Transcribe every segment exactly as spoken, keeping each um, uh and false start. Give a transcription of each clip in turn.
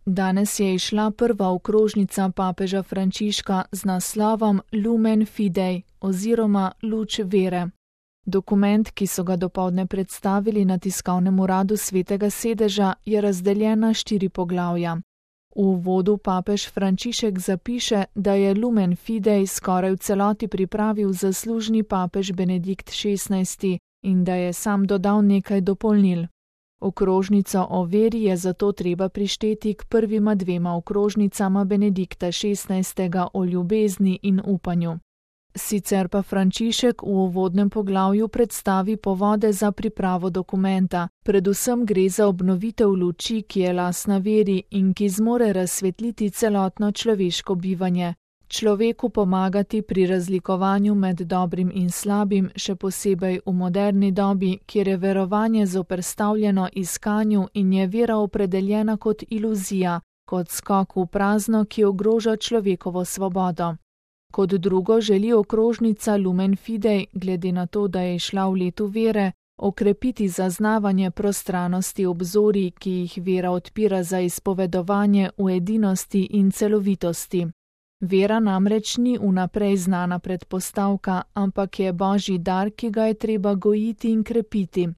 Danes je izšla prva okrožnica papeža Frančiška z naslovom Lumen Fidei oziroma Luč vere. Dokument, ki so ga dopoldne predstavili na tiskovnem uradu Svetega sedeža, je razdeljen na štiri poglavja. V uvodu papež Frančišek zapiše, da je Lumen Fidei skoraj v celoti pripravil zaslužni papež Benedikt šestnajsti in da je sam dodal nekaj dopolnil. Okrožnico o veri je zato treba prišteti k prvima dvema okrožnicama Benedikta šestnajstega o ljubezni in upanju. Sicer pa Frančišek v uvodnem poglavju predstavi povode za pripravo dokumenta, predvsem gre za obnovitev luči, ki je lastna veri in ki zmore razsvetliti celotno človeško bivanje, človeku pomagati pri razlikovanju med dobrim in slabim, še posebej v moderni dobi, kjer je verovanje zoperstavljeno iskanju in je vera opredeljena kot iluzija, kot skok v prazno, ki ogroža človekovo svobodo. Kot drugo želi okrožnica Lumen Fidei, glede na to, da je šla v letu vere, okrepiti zaznavanje prostranosti obzorij, ki jih vera odpira za izpovedovanje v edinosti in celovitosti. Vera namreč ni vnaprej znana predpostavka, ampak je božji dar, ki ga je treba gojiti in krepiti.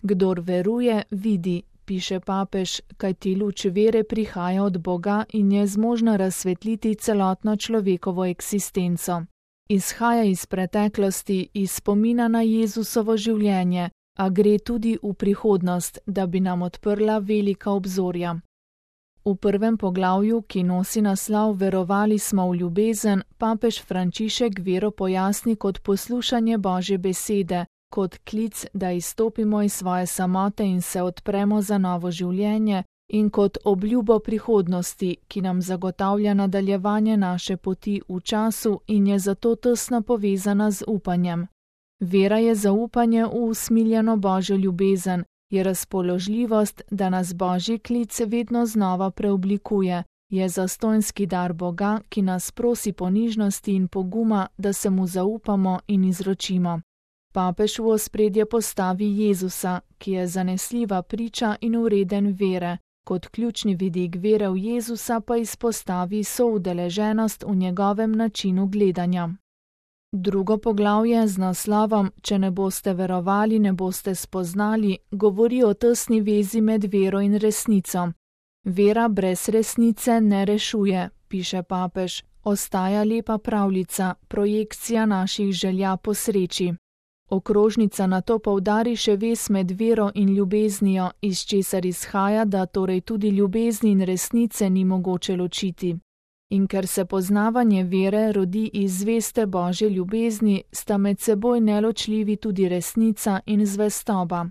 Kdor veruje, vidi, piše papež, kajti luč vere prihaja od Boga in je zmožna razsvetliti celotno človekovo eksistenco. Izhaja iz preteklosti, iz spomina na Jezusovo življenje, a gre tudi v prihodnost, da bi nam odprla velika obzorja. V prvem poglavju, ki nosi naslov Verovali smo v ljubezen, papež Frančišek vero pojasni kot poslušanje Božje besede, kot klic, da izstopimo iz svoje samote in se odpremo za novo življenje, in kot obljubo prihodnosti, ki nam zagotavlja nadaljevanje naše poti v času in je zato tesno povezana z upanjem. Vera je zaupanje v usmiljeno Božjo ljubezen, je razpoložljivost, da nas Božji klic vedno znova preoblikuje, je zastonjski dar Boga, ki nas prosi ponižnosti in poguma, da se mu zaupamo in izročimo. Papež v ospredje postavi Jezusa, ki je zanesljiva priča in vreden vere, kot ključni vidik vere v Jezusa pa izpostavi soudeleženost v njegovem načinu gledanja. Drugo poglavje z naslovom Če ne boste verovali, ne boste spoznali, govori o tesni vezi med vero in resnico. Vera brez resnice ne rešuje, piše papež, ostaja lepa pravljica, projekcija naših želja po sreči. Okrožnica nato poudari še vez med vero in ljubeznijo, iz česar izhaja, da torej tudi ljubezni in resnice ni mogoče ločiti. In ker se poznavanje vere rodi iz zveste Božje ljubezni, sta med seboj neločljivi tudi resnica in zvestoba.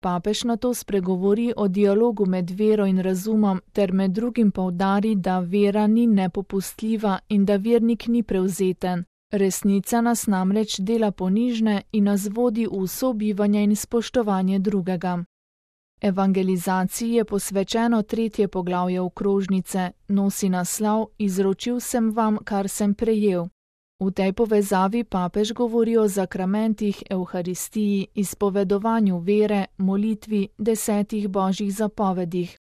Papež nato spregovori o dialogu med vero in razumom ter med drugim poudari, da vera ni nepopustljiva in da vernik ni prevzeten. Resnica nas namreč dela ponižne in nas vodi v sobivanje in spoštovanje drugega. Evangelizaciji je posvečeno tretje poglavje okrožnice, nosi naslov Izročil sem vam, kar sem prejel. V tej povezavi papež govori o zakramentih, evharistiji, izpovedovanju vere, molitvi, desetih božjih zapovedih.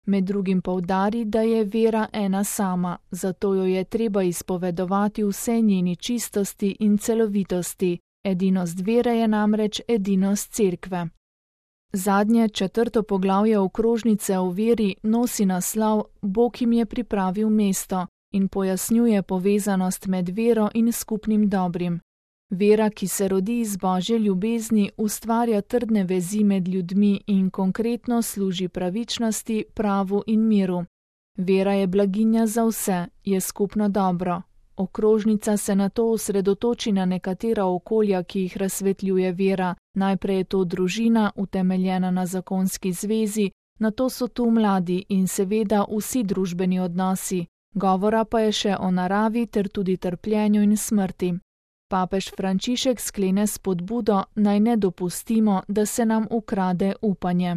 Med drugim poudari, da je vera ena sama, zato jo je treba izpovedovati vse njeni čistosti in celovitosti. Edinost vere je namreč edinost cerkve. Zadnje, četrto poglavje okrožnice o veri nosi naslov Bog jim je pripravil mesto in pojasnjuje povezanost med vero in skupnim dobrim. Vera, ki se rodi iz Božje ljubezni, ustvarja trdne vezi med ljudmi in konkretno služi pravičnosti, pravu in miru. Vera je blaginja za vse, je skupno dobro. Okrožnica se nato osredotoči na nekatera okolja, ki jih razsvetljuje vera. Najprej je to družina, utemeljena na zakonski zvezi, nato so tu mladi in seveda vsi družbeni odnosi. Govora pa je še o naravi ter tudi trpljenju in smrti. Papež Frančišek sklene spodbudo, naj ne dopustimo, da se nam ukrade upanje.